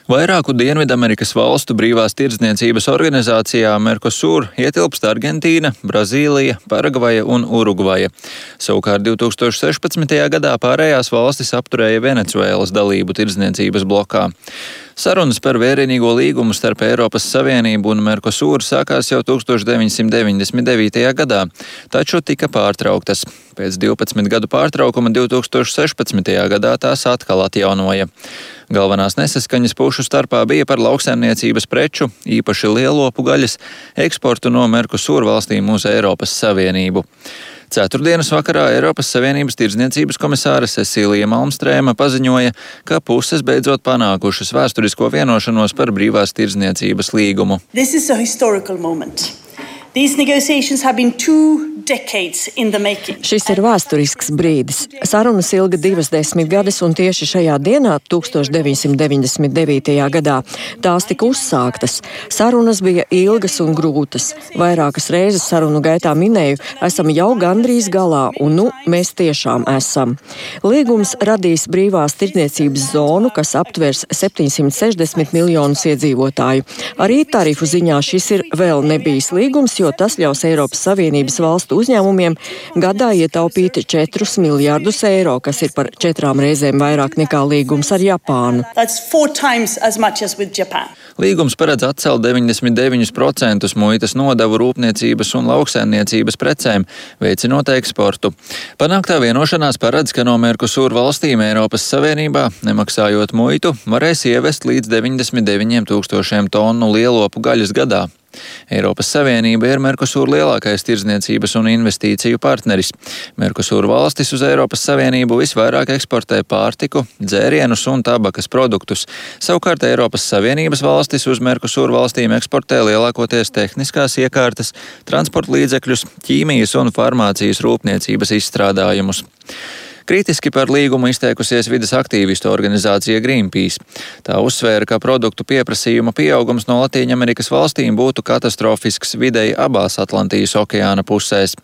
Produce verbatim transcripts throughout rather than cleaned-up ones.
Vairāku Dienvidamerikas valstu brīvās tirdzniecības organizācijā Mercosur ietilpst Argentīna, Brazīlija, Paragvaja un Urugvaja. Savukārt divs tūkstoši sešpadsmitajā gadā pārējās valstis apturēja Venecuēlas dalību tirdzniecības blokā. Sarunas par vērienīgo līgumu starp Eiropas Savienību un Mercosur sākās jau tūkstoš deviņsimt deviņdesmit devītajā gadā, taču tika pārtrauktas. Pēc divpadsmit gadu pārtraukuma divs tūkstoši sešpadsmitajā gadā tās atkal atjaunoja. Galvenās nesaskaņas pušu starpā bija par lauksaimniecības preču, īpaši lielopu gaļas, eksportu no Mercosur valstīm uz Eiropas Savienību. Ceturtdienas vakarā Eiropas Savienības tirdzniecības komisāre Cecīlija Malmstrēma paziņoja, ka puses beidzot panākušas vēsturisko vienošanos par brīvās tirdzniecības līgumu. Šis ir vēsturisks brīdis. Sarunas ilga divas desmitgades, un tieši šajā dienā, tūkstoš deviņsimt deviņdesmit devītajā gadā, tās tika uzsāktas. Sarunas bija ilgas un grūtas. Vairākas reizes sarunu gaitā minēju, esam jau gandrīz galā, un nu mēs tiešām esam. Līgums radīs brīvās tirdzniecības zonu, kas aptvers septiņsimt sešdesmit miljonus iedzīvotāju. Arī tarifu ziņā šis ir vēl nebijis līgums, jo tas ļaus Eiropas Savienības valstu uzņēmumiem gadā ietaupīt četrus miljardus eiro, kas ir par četrām reizēm vairāk nekā līgums ar Japānu. Līgums paredz atcelt deviņdesmit deviņus procentus muitas nodevu rūpniecības un lauksaimniecības precēm, veicinot eksportu. Panāktā vienošanās paredz, ka no Mercosur valstīm Eiropas Savienībā, nemaksājot muitu, varēs ievest līdz deviņdesmit deviņiem tūkstošiem tonu lielopu gaļas gadā. Eiropas Savienība ir Mercosur lielākais tirdzniecības un investīciju partneris. Mercosur valstis uz Eiropas Savienību visvairāk eksportē pārtiku, dzērienus un tabakas produktus. Savukārt Eiropas Savienības valstis uz Mercosur valstīm eksportē lielākoties tehniskās iekārtas, transporta līdzekļus, ķīmijas un farmācijas rūpniecības izstrādājumus. Kritiski par līgumu izteikusies vides aktīvistu organizācija Greenpeace. Tā uzsvēra, ka produktu pieprasījuma pieaugums no Latīņamerikas valstīm būtu katastrofisks videi abās Atlantijas okeāna pusēs.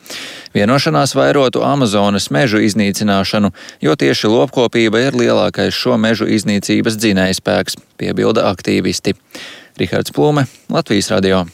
Vienošanās vairotu Amazonas mežu iznīcināšanu, jo tieši lopkopība ir lielākais šo mežu iznīcības dzinējspēks, piebilda aktīvisti. Rihards Plūme, Latvijas radio.